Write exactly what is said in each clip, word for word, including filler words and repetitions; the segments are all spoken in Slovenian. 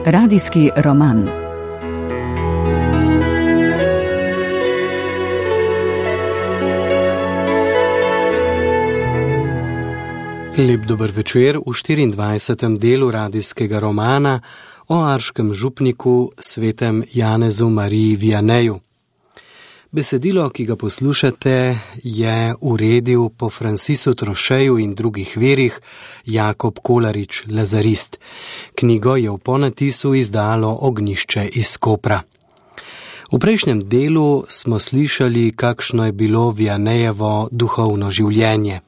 Radijski roman. Lep dober večer v štiriindvajsetem delu radijskega romana o arškem župniku svetem Janezu Mariji Vianeju. Besedilo, ki ga poslušate, je uredil po Francisu Trošeju in drugih verih Jakob Kolarič, lazarist. Knjigo je v ponatisu izdalo Ognjišče iz Kopra. V prejšnjem delu smo slišali, kakšno je bilo Vianejevo duhovno življenje.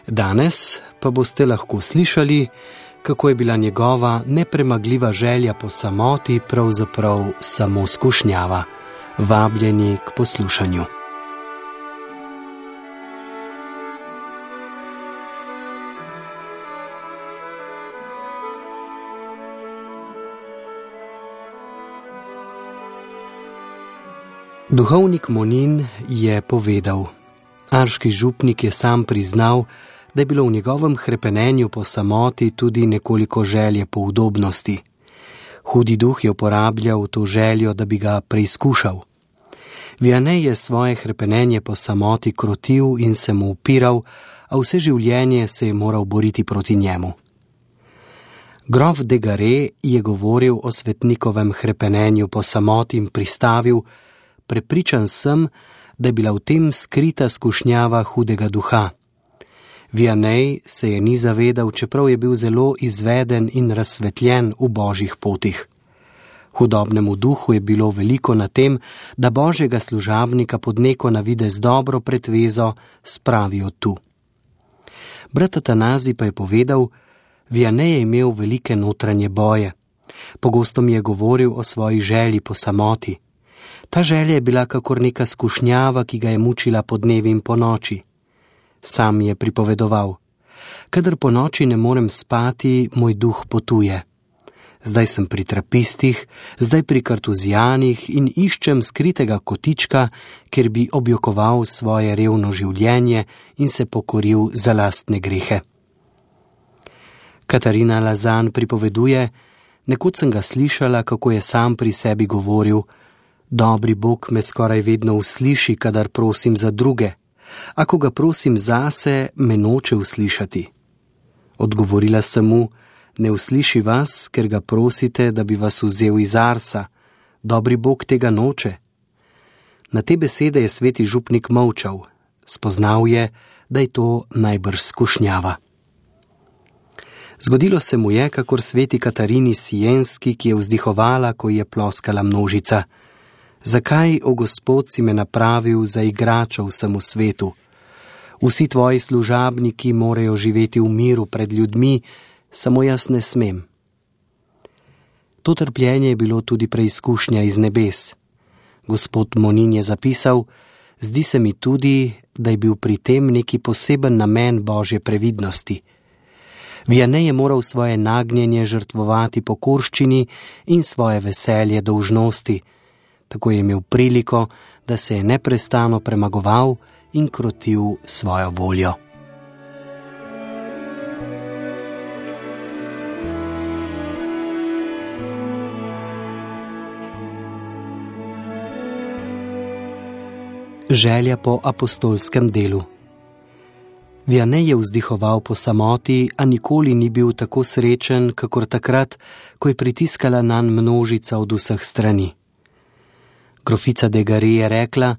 Danes pa boste lahko slišali, kako je bila njegova nepremagljiva želja po samoti pravzaprav samo skušnjava. Vabljeni k poslušanju. Duhovnik Monin je povedal: arški župnik je sam priznal, da je bilo v njegovem hrepenenju po samoti tudi nekoliko želje po udobnosti. Hudi duh je uporabljal to željo, da bi ga preizkušal. Vianej je svoje hrepenenje po samoti krotil in se mu upiral, a vse življenje se je moral boriti proti njemu. Grof de Garé je govoril o svetnikovem hrepenenju po samoti in pristavil: prepričan sem, da je bila v tem skrita skušnjava hudega duha. Vianej se je ni zavedal, čeprav je bil zelo izveden in razsvetljen v božjih potih. Hudobnemu duhu je bilo veliko na tem, da božjega služabnika pod neko navidez dobro pretvezo spravijo tu. Brat Atanazij pa je povedal: Vianej je imel velike notranje boje. Pogosto mi je govoril o svoji želji po samoti. Ta želja je bila kakor neka skušnjava, ki ga je mučila po dnevi in po noči. Sam je pripovedoval: kadar po noči ne morem spati, moj duh potuje. Zdaj sem pri trapistih, zdaj pri kartuzijanih in iščem skritega kotička, kjer bi objokoval svoje revno življenje in se pokoril za lastne grehe. Katarina Lazan pripoveduje: nekoč sem ga slišala, kako je sam pri sebi govoril: dobri Bog me skoraj vedno usliši, kadar prosim za druge. A ko ga prosim zase, me noče uslišati. Odgovorila sem mu: ne usliši vas, ker ga prosite, da bi vas vzel iz arsa. Dobri Bog tega noče. Na te besede je sveti župnik molčal. Spoznal je, da je to najbrž skušnjava. Zgodilo se mu je, kakor sveti Katarini Sienski, ki je vzdihovala, ko je ploskala množica: zakaj, o Gospod, si me napravil za igrača vsemu svetu? Vsi tvoji služabniki morajo živeti v miru pred ljudmi, samo jaz ne smem. To trpljenje je bilo tudi preizkušnja iz nebes. Gospod Monin je zapisal: zdi se mi tudi, da je bil pri tem neki poseben namen božje previdnosti. Vianej je moral svoje nagnjenje žrtvovati pokorščini in svoje veselje dolžnosti. Tako je imel priliko, da se je neprestano premagoval in krotil svojo voljo. Želja po apostolskem delu. Vianej je vzdihoval po samoti, a nikoli ni bil tako srečen, kakor takrat, ko je pritiskala nanj množica od vseh strani. Grofica de Garé je rekla: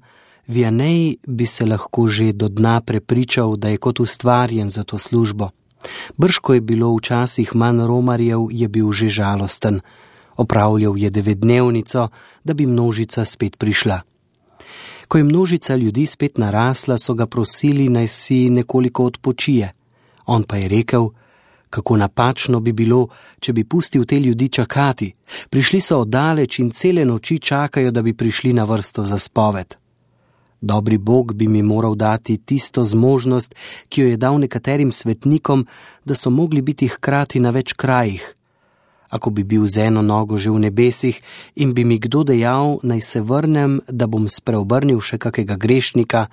Vianej bi se lahko že do dna prepričal, da je kot ustvarjen za to službo. Brž ko je bilo včasih manj romarjev, je bil že žalosten. Opravljal je devetdnevnico, da bi množica spet prišla. Ko je množica ljudi spet narasla, so ga prosili, naj si nekoliko odpočije. On pa je rekel: kako napačno bi bilo, če bi pustil te ljudi čakati. Prišli so oddaleč in cele noči čakajo, da bi prišli na vrsto za spoved. Dobri Bog bi mi moral dati tisto zmožnost, ki jo je dal nekaterim svetnikom, da so mogli biti hkrati na več krajih. Ako bi bil z eno nogo že v nebesih in bi mi kdo dejal, naj se vrnem, da bom spreobrnil še kakega grešnika,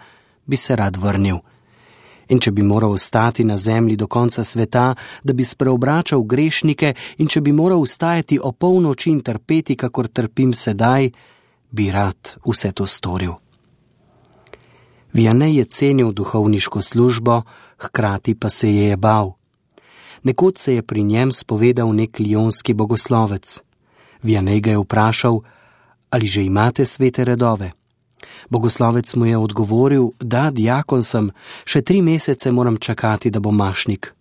bi se rad vrnil. In če bi moral ostati na zemlji do konca sveta, da bi spreobračal grešnike, in če bi moral vstajati o polnoči in trpeti, kakor trpim sedaj, bi rad vse to storil. Vianney je cenil duhovniško službo, hkrati pa se je je bal. Nekoč se je pri njem spovedal nek lionski bogoslovec. Vianney ga je vprašal, ali že imate svete redove. Bogoslovec mu je odgovoril, da, diakon sem, še tri mesece moram čakati, da bom mašnik.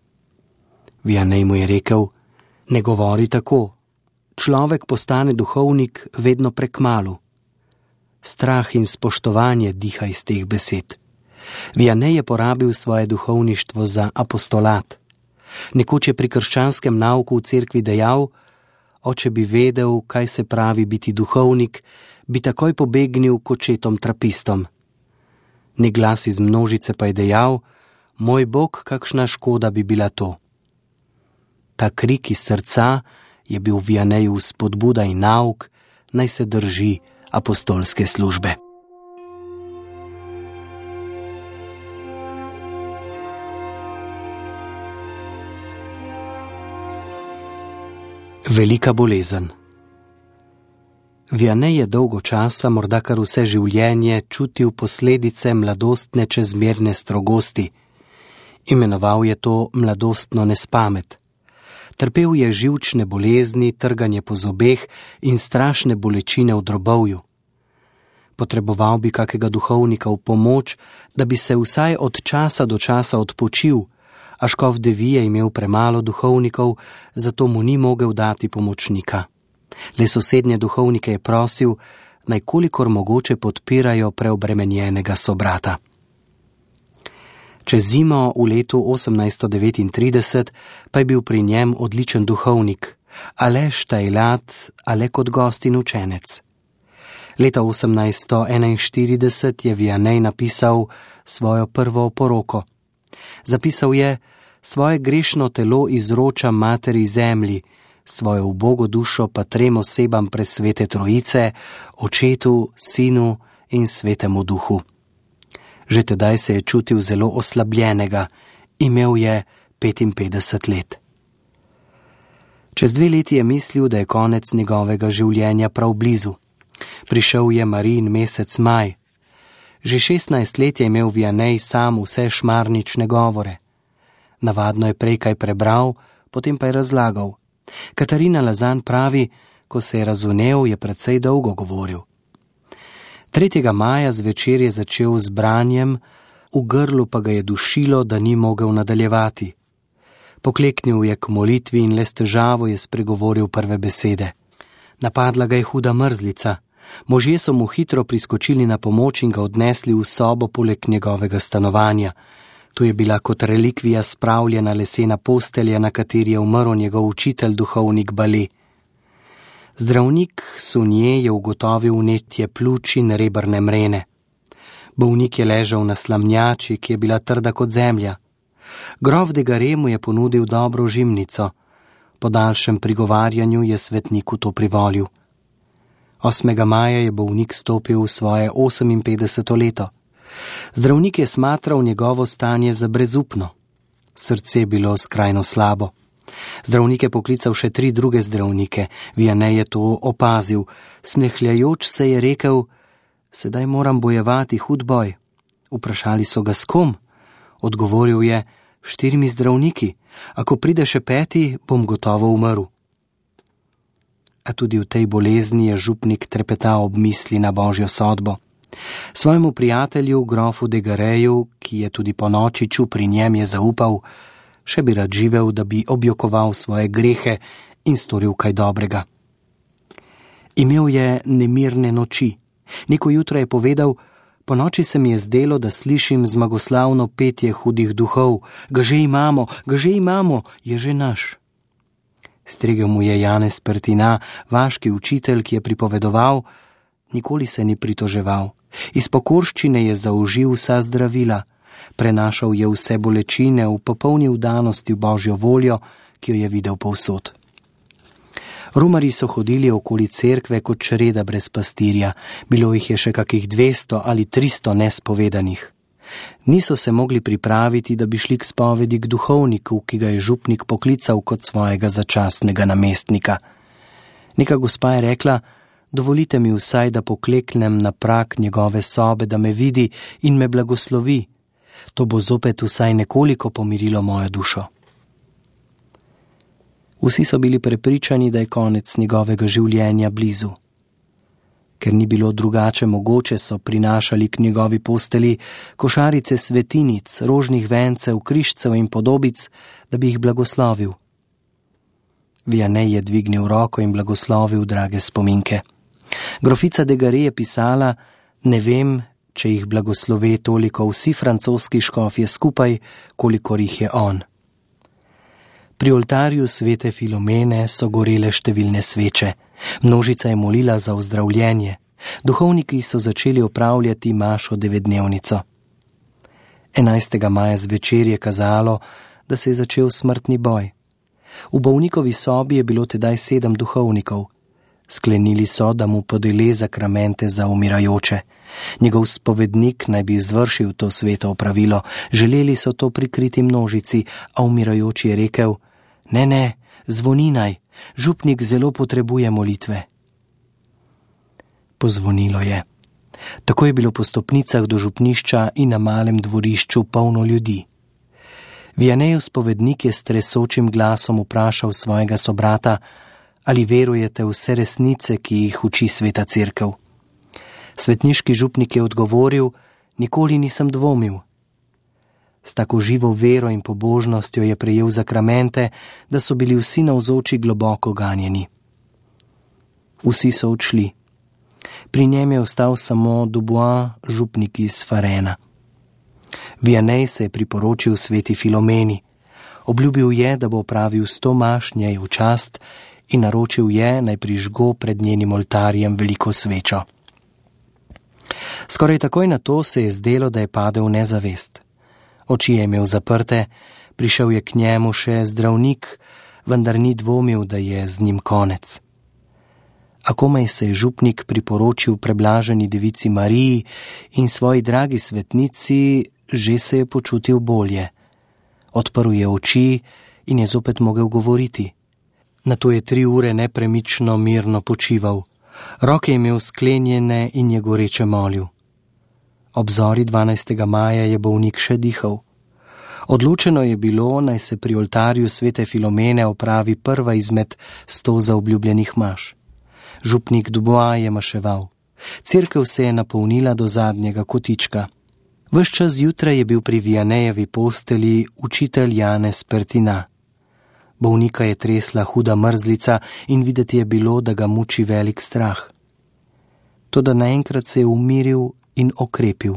Vianney mu je rekel, ne govori tako, človek postane duhovnik vedno prekmalu. Strah in spoštovanje diha iz teh besed. Vianney je porabil svoje duhovništvo za apostolat. Nekoč je pri krščanskem nauku v cerkvi dejal, oče bi vedel, kaj se pravi biti duhovnik, bi takoj pobegnil k očetom trapistom. Nek glas iz množice pa je dejal, moj Bog, kakšna škoda bi bila to. Ta krik iz srca je bil Vianneyju spodbuda in nauk, naj se drži apostolske službe. Velika bolezen. Vianney je dolgo časa, morda kar vse življenje, čutil posledice mladostne čezmerne strogosti. Imenoval je to mladostno nespamet. Trpel je živčne bolezni, trganje po zobeh in strašne bolečine v drobovju. Potreboval bi kakega duhovnika v pomoč, da bi se vsaj od časa do časa odpočil, a škof Devi je imel premalo duhovnikov, zato mu ni mogel dati pomočnika. Le sosednje duhovnike je prosil, naj kolikor mogoče podpirajo preobremenjenega sobrata. Čez zimo v letu osemnajststo devetintrideset pa je bil pri njem odličen duhovnik, Aleš Tajlat, ale kot gost in učenec. Leta osemnajststo enainštirideset je Vianney napisal svojo prvo oporoko. Zapisal je, svoje grešno telo izročam materi zemlji, svojo ubogo dušo pa trem osebam presvete trojice, očetu, sinu in svetemu duhu. Že tedaj se je čutil zelo oslabljenega, imel je petinpetdeset let. Čez dve leti je mislil, da je konec njegovega življenja prav blizu. Prišel je Marijin mesec maj. Že šestnajst let je imel Vianney sam vse šmarnične govore. Navadno je prej kaj prebral, potem pa je razlagal. Katarina Lazan pravi, ko se je razvnel, je precej dolgo govoril. tretjega maja zvečer je začel z branjem, v grlu pa ga je dušilo, da ni mogel nadaljevati. Pokleknil je k molitvi in le s težavo je spregovoril prve besede. Napadla ga je huda mrzlica. Možje so mu hitro priskočili na pomoč in ga odnesli v sobo poleg njegovega stanovanja. Tu je bila kot relikvija spravljena lesena postelja, na kateri je umrl njegov učitelj, duhovnik Bale. Zdravnik Sunje je ugotovil vnetje pljuč in rebrne mrene. Bolnik je ležal na slamnjači, ki je bila trda kot zemlja. Grof de Gare mu je ponudil dobro žimnico. Po daljšem prigovarjanju je svetniku to privolil. osmega maja je bolnik stopil v svoje oseminpetdeseto leto. Zdravnik je smatral njegovo stanje za brezupno. Srce je bilo skrajno slabo. Zdravnik je poklical še tri druge zdravnike. Vianney je to opazil. Smehljajoč se je rekel, sedaj moram bojevati hud boj. Vprašali so ga s kom? Odgovoril je, štirimi zdravniki. Ako pride še peti, bom gotovo umrl. A tudi v tej bolezni je župnik trepetal ob misli na božjo sodbo. Svojemu prijatelju, grofu de Gareju, ki je tudi po noči čul pri njem, je zaupal, še bi rad živel, da bi objokoval svoje grehe in storil kaj dobrega. Imel je nemirne noči. Neko jutro je povedal, po noči se mi je zdelo, da slišim zmagoslavno petje hudih duhov. Ga že imamo, ga že imamo, je že naš. Stregel mu je Janez Pertina, vaški učitelj, ki je pripovedoval, nikoli se ni pritoževal. Iz pokorščine je zaužil vsa zdravila, prenašal je vse bolečine v popolni vdanosti v božjo voljo, ki jo je videl povsod. Romarji so hodili okoli cerkve kot čreda brez pastirja, bilo jih je še kakih dvesto ali tristo nespovedanih. Niso se mogli pripraviti, da bi šli k spovedi k duhovniku, ki ga je župnik poklical kot svojega začasnega namestnika. Neka gospa je rekla: dovolite mi vsaj, da pokleknem na prag njegove sobe, da me vidi in me blagoslovi. To bo zopet vsaj nekoliko pomirilo mojo dušo. Vsi so bili prepričani, da je konec njegovega življenja blizu. Ker ni bilo drugače mogoče, so prinašali k njegovi posteli košarice svetinic, rožnih vencev, križcev in podobic, da bi jih blagoslovil. Vianney je dvignil roko in blagoslovil drage spominke. Grofica de Garet je pisala: ne vem, če jih blagoslove toliko vsi francoski škofje skupaj, kolikor jih je on. Pri oltarju svete Filomene so gorele številne sveče. Množica je molila za ozdravljenje. Duhovniki so začeli opravljati mašo devetdnevnico. enajstega maja zvečer je kazalo, da se je začel smrtni boj. V bolnikovi sobi je bilo tedaj sedem duhovnikov. Sklenili so, da mu podeli zakramente za umirajoče. Njegov spovednik naj bi izvršil to sveto opravilo. Želeli so to prikriti množici, a umirajoči je rekel: ne, ne, zvoni naj, župnik zelo potrebuje molitve. Pozvonilo je. Tako je bilo po stopnicah do župnišča in na malem dvorišču polno ljudi. Vianneyjev spovednik je s tresočim glasom vprašal svojega sobrata: ali verujete vse resnice, ki jih uči sveta cerkev? Svetniški župnik je odgovoril: nikoli nisem dvomil. S tako živo vero in pobožnostjo je prejel zakramente, da so bili vsi navzoči globoko ganjeni. Vsi so odšli. Pri njem je ostal samo Dubois, župnik iz Farena. Vianney se je priporočil sveti Filomeni. Obljubil je, da bo opravil sto maš njej v čast in naročil je, naj prižgo pred njenim oltarjem veliko svečo. Skoraj takoj na to se je zdelo, da je padel v nezavest. Oči je imel zaprte, prišel je k njemu še zdravnik, vendar ni dvomil, da je z njim konec. A komaj se je župnik priporočil preblaženi devici Mariji in svoji dragi svetnici, že se je počutil bolje. Odprl je oči in je zopet mogel govoriti. Nato je tri ure nepremično mirno počival. Roke je imel sklenjene in je goreče molil. Ob zori dvanajstega maja je bolnik še dihal. Odločeno je bilo, naj se pri oltarju svete Filomene opravi prva izmed sto zaobljubljenih maš. Župnik Dubois je maševal. Cerkev se je napolnila do zadnjega kotička. Ves čas zjutraj je bil pri Vianneyjevi posteli učitelj Janez Pertina. Bolnika je tresla huda mrzlica in videti je bilo, da ga muči velik strah. Toda naenkrat se je umiril in okrepil.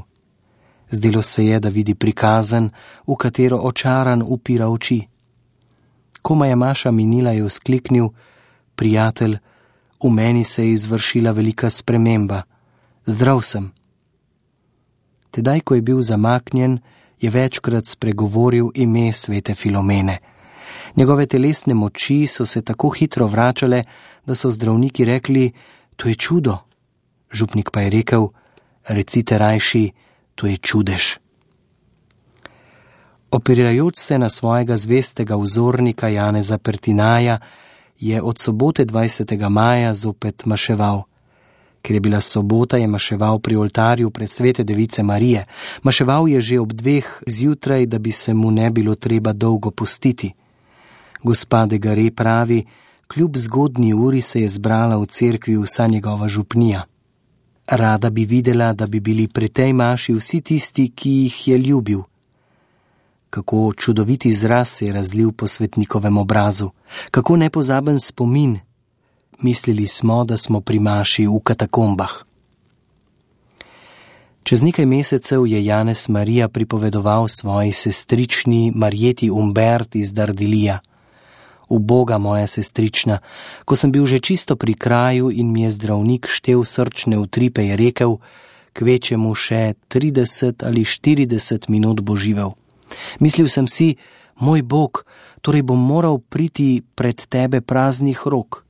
Zdelo se je, da vidi prikazen, v katero očaran upira oči. Komaj je maša minila, je vzkliknil: prijatelj, v meni se je izvršila velika sprememba. Zdrav sem. Tedaj, ko je bil zamaknjen, je večkrat spregovoril ime svete Filomene. Njegove telesne moči so se tako hitro vračale, da so zdravniki rekli: to je čudo. Župnik pa je rekel: recite rajši, to je čudež. Opirajoč se na svojega zvestega vzornika Janeza Pertinaja, je od sobote dvajsetega maja zopet maševal. Ker je bila sobota, je maševal pri oltarju pred svete device Marije. Maševal je že ob dveh zjutraj, da bi se mu ne bilo treba dolgo pustiti. Gospa de Garet pravi: kljub zgodnji uri se je zbrala v cerkvi vsa njegova župnija. Rada bi videla, da bi bili pri tej maši vsi tisti, ki jih je ljubil. Kako čudoviti izraz se je razlil po svetnikovem obrazu, kako nepozaben spomin. Mislili smo, da smo pri maši v katakombah. Čez nekaj mesecev je Janez Marija pripovedoval svoji sestrični Marjeti Umbert iz Dardilija: uboga moja sestrična, ko sem bil že čisto pri kraju in mi je zdravnik štel srčne utripe, je rekel: kvečemu še trideset ali štirideset minut bo živel. Mislil sem si: moj Bog, torej bom moral priti pred tebe praznih rok.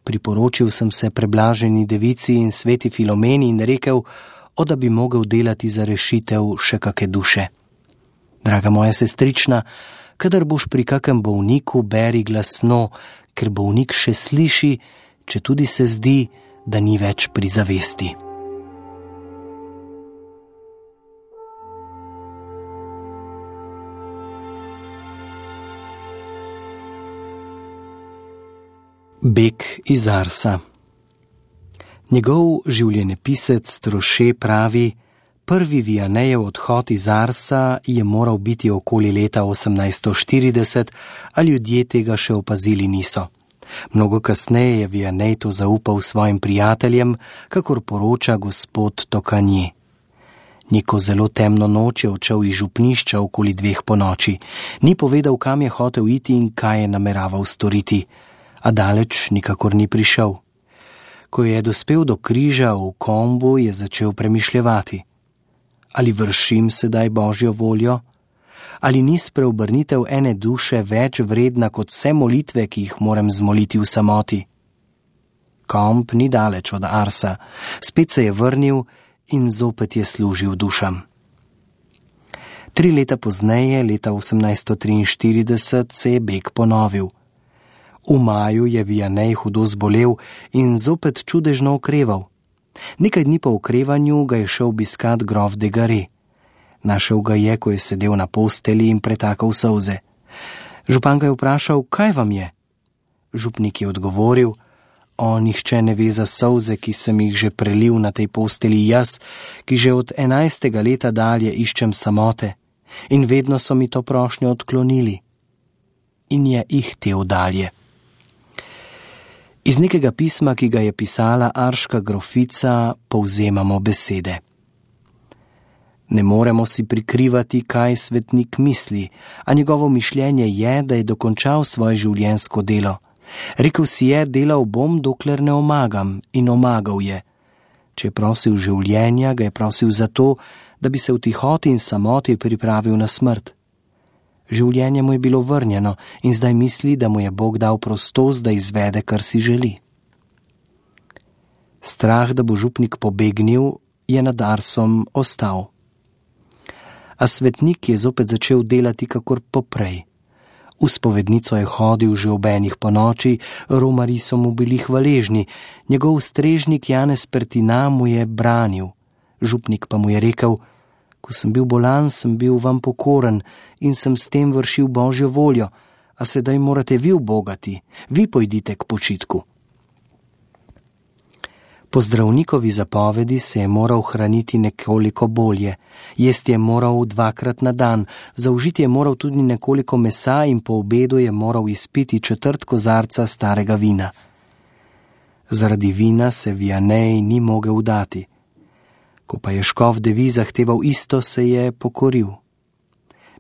Priporočil sem se preblaženi devici in sveti Filomeni in rekel: o da bi mogel delati za rešitev še kake duše. Draga moja sestrična, kadar boš pri kakem bolniku, beri glasno, ker bolnik še sliši, če tudi se zdi, da ni več pri zavesti. Beg iz Arsa. Njegov življenjepisec Troše pravi, prvi Vianejev odhod iz Arsa je moral biti okoli leta osemnajststo štirideset, a ljudje tega še opazili niso. Mnogo kasneje je Vianej to zaupal svojim prijateljem, kakor poroča gospod Tokanje. Neko zelo temno noč je odšel iz župnišča okoli dveh ponoči. Ni povedal, kam je hotel iti in kaj je nameraval storiti, a daleč nikakor ni prišel. Ko je dospel do križa v Kombu, je začel premišljevati. Ali vršim sedaj Božjo voljo? Ali ni spreobrnitev ene duše več vredna kot vse molitve, ki jih moram zmoliti v samoti? Komb ni daleč od Arsa, spet se je vrnil in zopet je služil dušam. Tri leta pozneje, leta osemnajststo triinštirideset, se je beg ponovil. V maju je Vianej hudo zbolel in zopet čudežno okreval. Nekaj dni po okrevanju ga je šel obiskat grof de Gare. Našel ga je, ko je sedel na posteli in pretakal solze. Župan ga je vprašal, kaj vam je? Župnik je odgovoril, o, nihče ne ve za solze, ki sem jih že prelil na tej posteli jaz, ki že od enajstega leta dalje iščem samote in vedno so mi to prošnjo odklonili. In je ihtel dalje. Iz nekega pisma, ki ga je pisala arška grofica, povzemamo besede. Ne moremo si prikrivati, kaj svetnik misli, a njegovo mišljenje je, da je dokončal svoje življenjsko delo. Rekel si je, delal bom, dokler ne omagam, in omagal je. Če je prosil življenja, ga je prosil zato, da bi se v tihoti in samoti pripravil na smrt. Življenje mu je bilo vrnjeno in zdaj misli, da mu je Bog dal prostost, da izvede, kar si želi. Strah, da bo župnik pobegnil, je nad Arsom ostal. A svetnik je zopet začel delati kakor poprej. V spovednico je hodil že ob enih ponoči, romarji so mu bili hvaležni, njegov strežnik Janez Pertina mu je branil. Župnik pa mu je rekel, ko sem bil bolan, sem bil vam pokoren in sem s tem vršil Božjo voljo, a sedaj morate vi ubogati, vi pojdite k počitku. Po zdravnikovi zapovedi se je moral hraniti nekoliko bolje, jesti je moral dvakrat na dan, zaužiti je moral tudi nekoliko mesa in po obedu je moral izpiti četrt kozarca starega vina. Zaradi vina se Vianej ni mogel dati. Ko pa je škof Devi zahteval isto, se je pokoril.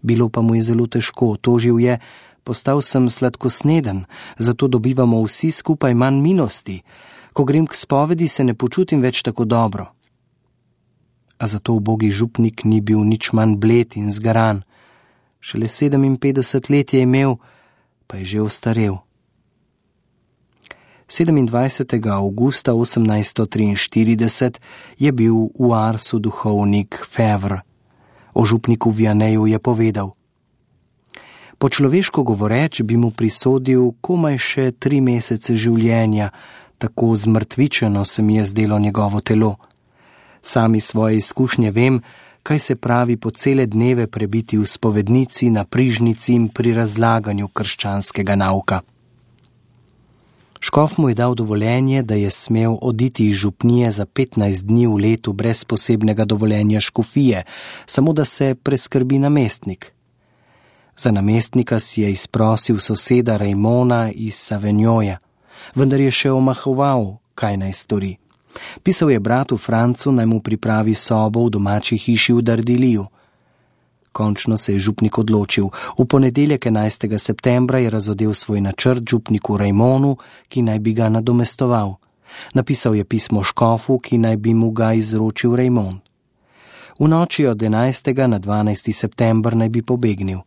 Bilo pa mu je zelo težko, tožil je, postal sem sladkosneden, zato dobivamo vsi skupaj manj milosti. Ko grem k spovedi, se ne počutim več tako dobro. A zato ubogi župnik ni bil nič manj bled in zgaran. Šele sedeminpetdeset let je imel, pa je že ostarel. sedemindvajsetega avgusta osemnajststo triinštirideset je bil v Arsu duhovnik Fevre. O župniku Vianeju je povedal: po človeško govoreč bi mu prisodil komaj še tri mesece življenja, tako zmrtvičeno se mi je zdelo njegovo telo. Sami svoje izkušnje vem, kaj se pravi po cele dneve prebiti v spovednici, na prižnici in pri razlaganju krščanskega nauka. Škof mu je dal dovoljenje, da je smel oditi iz župnije za petnajst dni v letu brez posebnega dovoljenja škofije, samo da se preskrbi namestnik. Za namestnika si je izprosil soseda Rajmona iz Savenjoja, vendar je še omahoval, kaj naj stori. Pisal je bratu Francu, naj mu pripravi sobo v domači hiši v Dardiliju. Končno se je župnik odločil. V ponedeljek enajstega septembra je razodel svoj načrt župniku Rajmonu, ki naj bi ga nadomestoval. Napisal je pismo škofu, ki naj bi mu ga izročil Rajmon. V noči od enajstega na dvanajsti september naj bi pobegnil.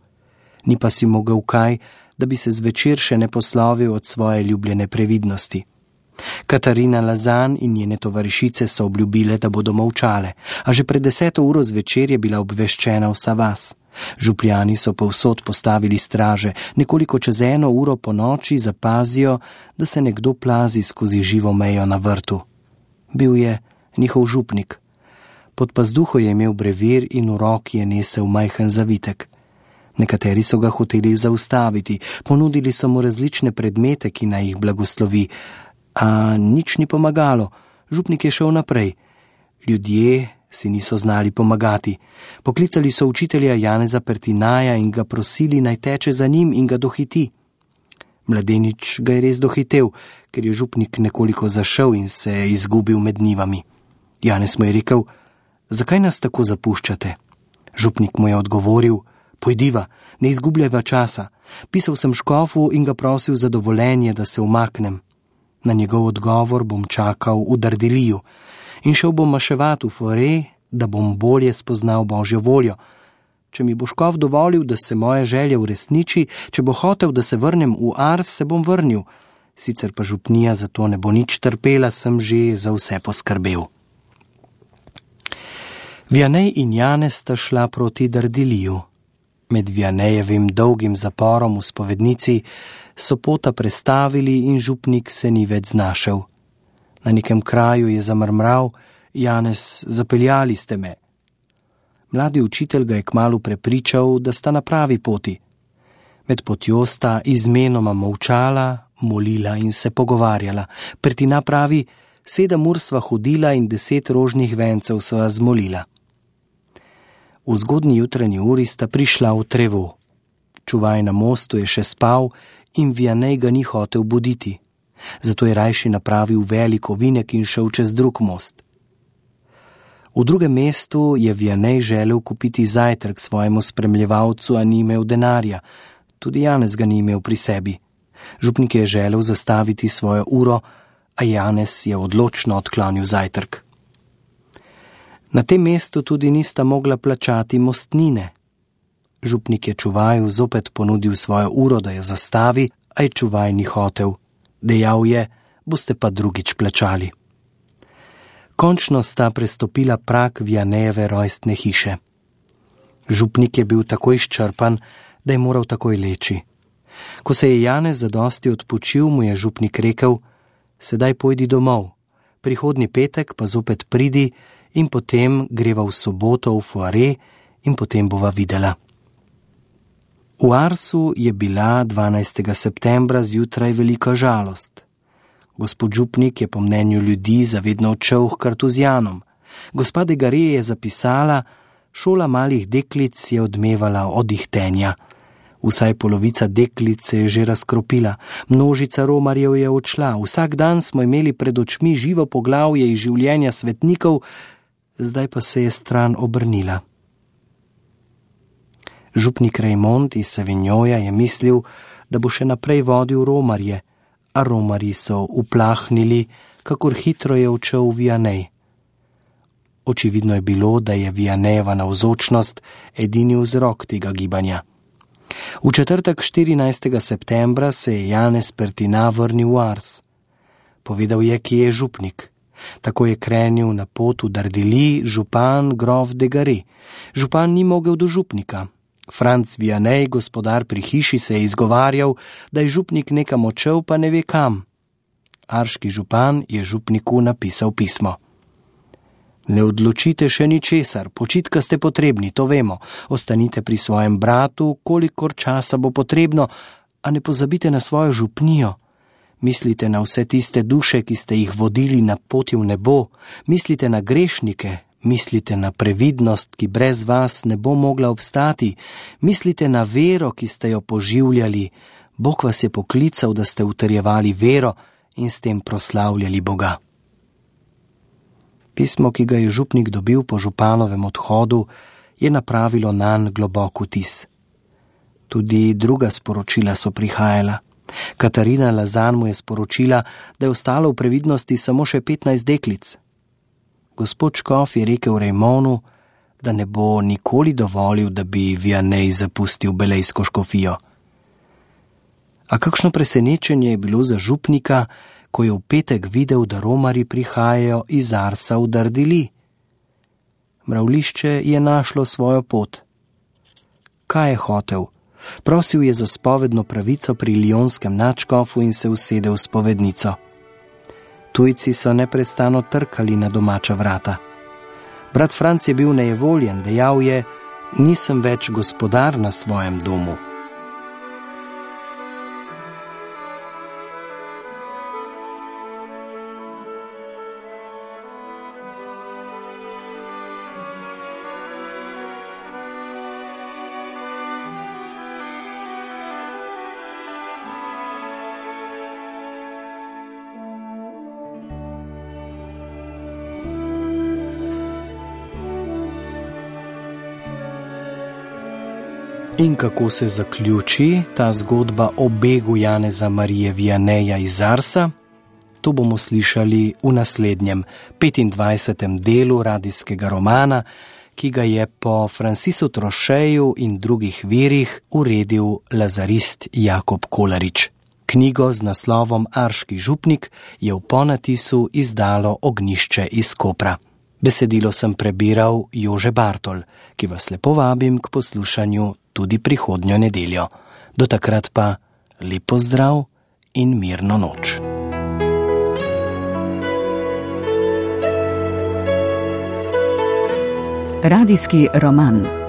Ni pa si mogel kaj, da bi se zvečer še ne poslovil od svoje ljubljene previdnosti. Katarina Lazan in njene tovarišice so obljubile, da bodo molčale, a že pred deseto uro zvečer je bila obveščena vsa vas. Župljani so povsod postavili straže, nekoliko čez eno uro po noči zapazijo, da se nekdo plazi skozi živo mejo na vrtu. Bil je njihov župnik. Pod pazduho je imel brevir in v roki je nesel majhen zavitek. Nekateri so ga hoteli zaustaviti, ponudili so mu različne predmete, ki naj jih blagoslovi, a nič ni pomagalo. Župnik je šel naprej. Ljudje si niso znali pomagati. Poklicali so učitelja Janeza Pertinaja in ga prosili, naj teče za njim in ga dohiti. Mladenič ga je res dohitel, ker je župnik nekoliko zašel in se je izgubil med njivami. Janez mu je rekel: "Zakaj nas tako zapuščate?" Župnik mu je odgovoril: "Pojdiva, ne izgubljajva časa. Pisal sem škofu in ga prosil za dovoljenje, da se umaknem. Na njegov odgovor bom čakal v Dardiliju in šel bom maševat v Fore, da bom bolje spoznal Božjo voljo. Če mi bo škof dovolil, da se moja želja uresniči, če bo hotel, da se vrnem v Ars, se bom vrnil. Sicer pa župnija za to ne bo nič trpela, sem že za vse poskrbel." Vianej in Janez sta šla proti Dardiliju. Med Vianejevim dolgim zaporom v spovednici so pota prestavili in župnik se ni več znašel. Na nekem kraju je zamrmral: "Janez, zapeljali ste me." Mladi učitelj ga je kmalu prepričal, da sta na pravi poti. Med potjo sta izmenoma molčala, molila in se pogovarjala. Pertina pravi: "Sedem ur sva hodila in deset rožnih vencev sva zmolila." V zgodnji jutranji uri sta prišla v Trevo. Čuvaj na mostu je še spal in Vianej ga ni hotel buditi. Zato je rajši napravil velik ovinek in šel čez drug most. V drugem mestu je Vianej želel kupiti zajtrk svojemu spremljevalcu, a ni imel denarja. Tudi Janez ga ni imel pri sebi. Župnik je želel zastaviti svojo uro, a Janez je odločno odklonil zajtrk. Na tem mestu tudi nista mogla plačati mostnine. Župnik je čuvaju zopet ponudil svojo uro, da jo zastavi, a je čuvaj ni hotel. Dejal je: "Boste pa drugič plačali." Končno sta prestopila prag Vianejeve rojstne hiše. Župnik je bil tako izčrpan, da je moral takoj leči. Ko se je Janez zadosti odpočil, mu je župnik rekel: "Sedaj pojdi domov, prihodnji petek pa zopet pridi in potem greva v soboto v Foare in potem bova videla." V Arsu je bila dvanajstega septembra zjutraj velika žalost. Gospod župnik je po mnenju ljudi zavedno odšel h kartuzijanom. Gospa de Gare je zapisala: "Šola malih deklic je odmevala od ihtenja. Vsaj polovica deklic se je že razkropila, množica romarjev je odšla, vsak dan smo imeli pred očmi živo poglavje iz življenja svetnikov, zdaj pa se je stran obrnila." Župnik Raymond iz Savignoja je mislil, da bo še naprej vodil romarje, a romarji so uplahnili, kakor hitro je odšel Vianej. Očividno je bilo, da je Vianejeva navzočnost edini vzrok tega gibanja. V četrtek štirinajstega septembra se je Janez Pertina vrnil v Ars. Povedal je, kje je župnik. Tako je krenil na pot v Dardili župan grof de Gare. Župan ni mogel do župnika. Franc Vianej, gospodar pri hiši, se je izgovarjal, da je župnik nekam odšel, pa ne ve kam. Arški župan je župniku napisal pismo: "Ne odločite še ničesar, počitka ste potrebni, to vemo. Ostanite pri svojem bratu, kolikor časa bo potrebno, a ne pozabite na svojo župnijo. Mislite na vse tiste duše, ki ste jih vodili na poti v nebo. Mislite na grešnike. Mislite na previdnost, ki brez vas ne bo mogla obstati. Mislite na vero, ki ste jo poživljali. Bog vas je poklical, da ste utrjevali vero in s tem proslavljali Boga." Pismo, ki ga je župnik dobil po županovem odhodu, je napravilo nanj globok vtis. Tudi druga sporočila so prihajala. Katarina Lazan mu je sporočila, da je ostalo v previdnosti samo še petnajst deklic. Gospod škof je rekel Raymondu, da ne bo nikoli dovolil, da bi Vianej zapustil belejsko škofijo. A kakšno presenečenje je bilo za župnika, ko je v petek videl, da romarji prihajajo iz Arsa v Dardili. Mravljišče je našlo svojo pot. Kaj je hotel? Prosil je za spovedno pravico pri lijonskem nadškofu in se usedel v spovednico. Tujci so neprestano trkali na domača vrata. Brat Franc je bil nejevoljen, dejal je: nisem več gospodar na svojem domu. In kako se zaključi ta zgodba o begu Janeza Marije Vianeja iz Arsa? To bomo slišali v naslednjem, petindvajsetem delu radijskega romana, ki ga je po Francisu Trošeju in drugih virih uredil lazarist Jakob Kolarič. Knjigo z naslovom Arški župnik je v ponatisu izdalo Ognjišče iz Kopra. Besedilo sem prebiral Jože Bartol, ki vas lepo vabim k poslušanju tudi prihodnjo nedeljo. Do takrat pa lep pozdrav in mirno noč. Radijski roman.